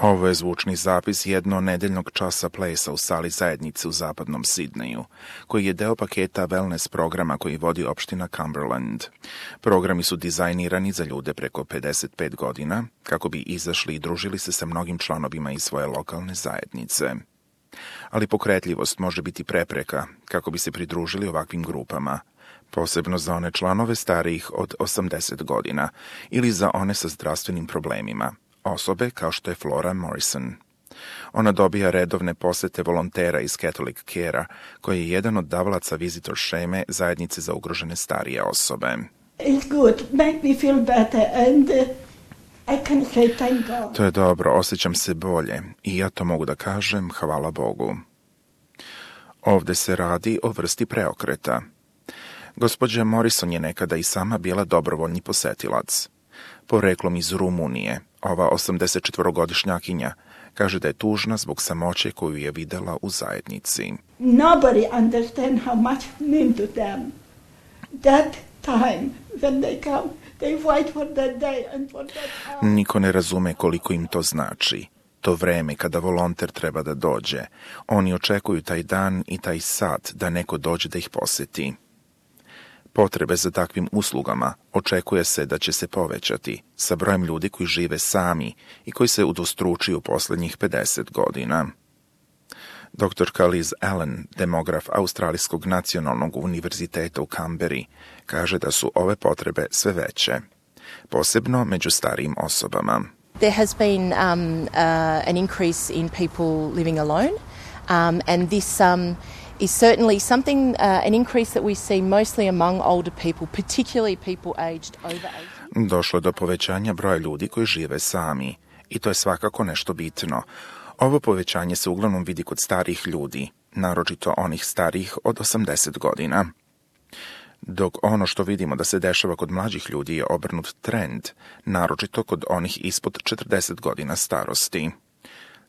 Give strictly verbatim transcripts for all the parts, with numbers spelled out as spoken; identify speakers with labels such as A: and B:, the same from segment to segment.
A: Ovo je zvučni zapis jednonedeljnog časa plesa u sali zajednice u zapadnom Sidneju, koji je deo paketa wellness programa koji vodi opština Cumberland. Programi su dizajnirani za ljude preko pedeset pet godina, kako bi izašli i družili se sa mnogim članovima iz svoje lokalne zajednice. Ali pokretljivost može biti prepreka kako bi se pridružili ovakvim grupama, posebno za one članove starijih od osamdeset godina ili za one sa zdravstvenim problemima, osobe kao što je Flora Morrison. Ona dobija redovne posete volontera iz Catholic Care-a, koji je jedan od davalaca visitor šeme zajednice za ugrožene starije osobe.
B: It's good, make me feel better and uh, I can say thank God.
A: To je dobro, osjećam se bolje i ja to mogu da kažem hvala Bogu. Ovde se radi o vrsti preokreta. Gospođa Morrison je nekada i sama bila dobrovoljni posetilac. Poreklom iz Rumunije, ova osamdesetčetvorogodišnjakinja kaže da je tužna zbog samoće koju je videla u zajednici.
B: Nobody understand how much it mean to them. That time when they come, they fight for that day and for that hour.
A: Niko ne razume koliko im to znači. To vreme kada volonter treba da dođe. Oni očekuju taj dan i taj sat da neko dođe da ih poseti. Potrebe za takvim uslugama očekuje se da će se povećati sa brojem ljudi koji žive sami i koji se udvostručuju poslednjih pedeset godina. Doktorka Liz Allen, demograf Australijskog nacionalnog univerziteta u Kamberi, kaže da su ove potrebe sve veće, posebno među starijim osobama.
C: There has been um, uh, an increase in people living alone, um, and this um, is certainly something, uh, an increase that we see mostly among older people, particularly people aged over eighty.
A: Došlo do povećanja broja ljudi koji žive sami i to je svakako nešto bitno. Ovo povećanje se uglavnom vidi kod starih ljudi, naročito onih starijih od osamdeset godina. Dok ono što vidimo da se dešava kod mlađih ljudi je obrnut trend, naročito kod onih ispod četrdeset godina starosti.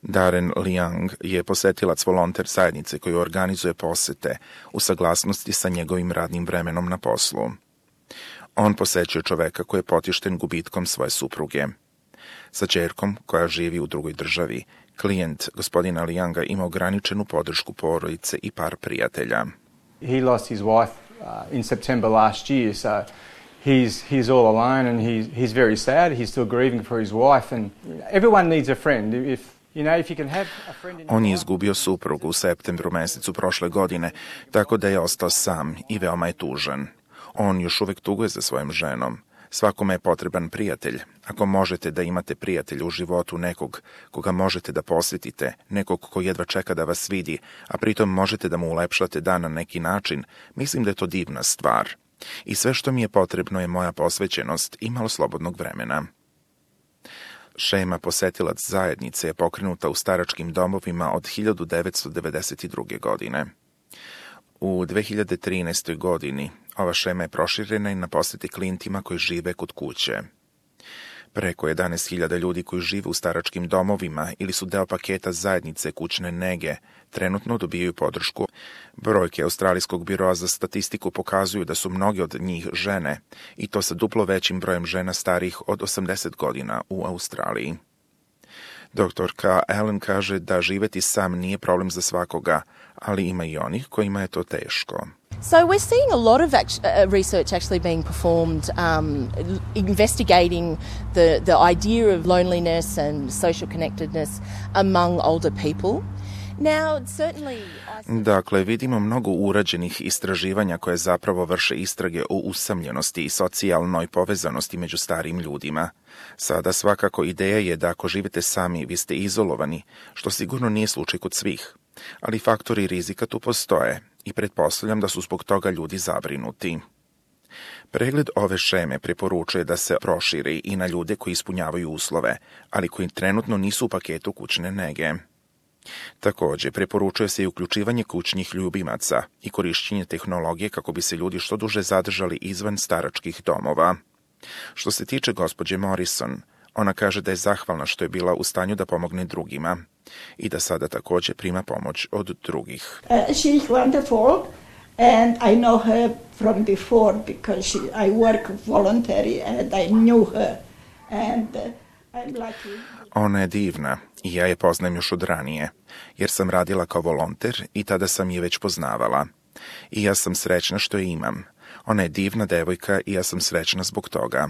A: Darren Liang je posetilac volonter zajednice koji organizuje posete u saglasnosti sa njegovim radnim vremenom na poslu. On posećuje čoveka koji je potišten gubitkom svoje supruge. Sa ćerkom koja živi u drugoj državi, klijent gospodina Lianga ima ograničenu podršku porodice i par prijatelja.
D: He lost his wife uh, in September last year, so he's he's all alone and he's he's very sad. He's still grieving for his wife, and everyone needs a friend. If you know, if you can have a friend in
A: On je izgubio suprugu u septembru mesecu prošle godine, tako da je ostao sam i veoma je tužan. On još uvek tuguje za svojom ženom. Svakome je potreban prijatelj. Ako možete da imate prijatelja u životu, nekog koga možete da posjetite, nekog ko jedva čeka da vas vidi, a pritom možete da mu ulepšate dan na neki način, mislim da je to divna stvar. I sve što mi je potrebno je moja posvećenost i malo slobodnog vremena. Šema posetilac zajednice je pokrenuta u staračkim domovima od hiljadu devetsto devedeset druge. godine. U dve hiljade trinaestoj. godini ova šema je proširena i na posete klijentima koji žive kod kuće. Preko jedanaest hiljada ljudi koji žive u staračkim domovima ili su deo paketa zajednice kućne nege trenutno dobijaju podršku. Brojke Australijskog biroa za statistiku pokazuju da su mnogi od njih žene i to sa duplo većim brojem žena starijih od osamdeset godina u Australiji. Doktorka Allen kaže da živeti sam nije problem za svakoga, ali ima i onih kojima je to teško.
C: So we're seeing a lot of act- uh, research actually being performed um, investigating the, the idea of loneliness and social connectedness among older people. Now, certainly...
A: Dakle, vidimo mnogo urađenih istraživanja koje zapravo vrše istrage o usamljenosti i socijalnoj povezanosti među starijim ljudima. Sada svakako ideja je da ako živite sami, vi ste izolovani, što sigurno nije slučaj kod svih. Ali faktori rizika tu postoje i pretpostavljam da su zbog toga ljudi zabrinuti. Pregled ove šeme preporučuje da se proširi i na ljude koji ispunjavaju uslove, ali koji trenutno nisu u paketu kućne nege. Takođe, preporučuje se i uključivanje kućnih ljubimaca i korišćenje tehnologije kako bi se ljudi što duže zadržali izvan staračkih domova. Što se tiče gospođe Morrison, ona kaže da je zahvalna što je bila u stanju da pomogne drugima i da sada takođe prima pomoć od drugih.
B: Uh, she's wonderful and I know her from before because she, I work voluntary and I knew her and uh, I'm lucky.
A: Ona je divna i ja je poznajem još od ranije, jer sam radila kao volonter i tada sam je već poznavala. I ja sam srećna što je imam. Ona je divna devojka i ja sam srećna zbog toga.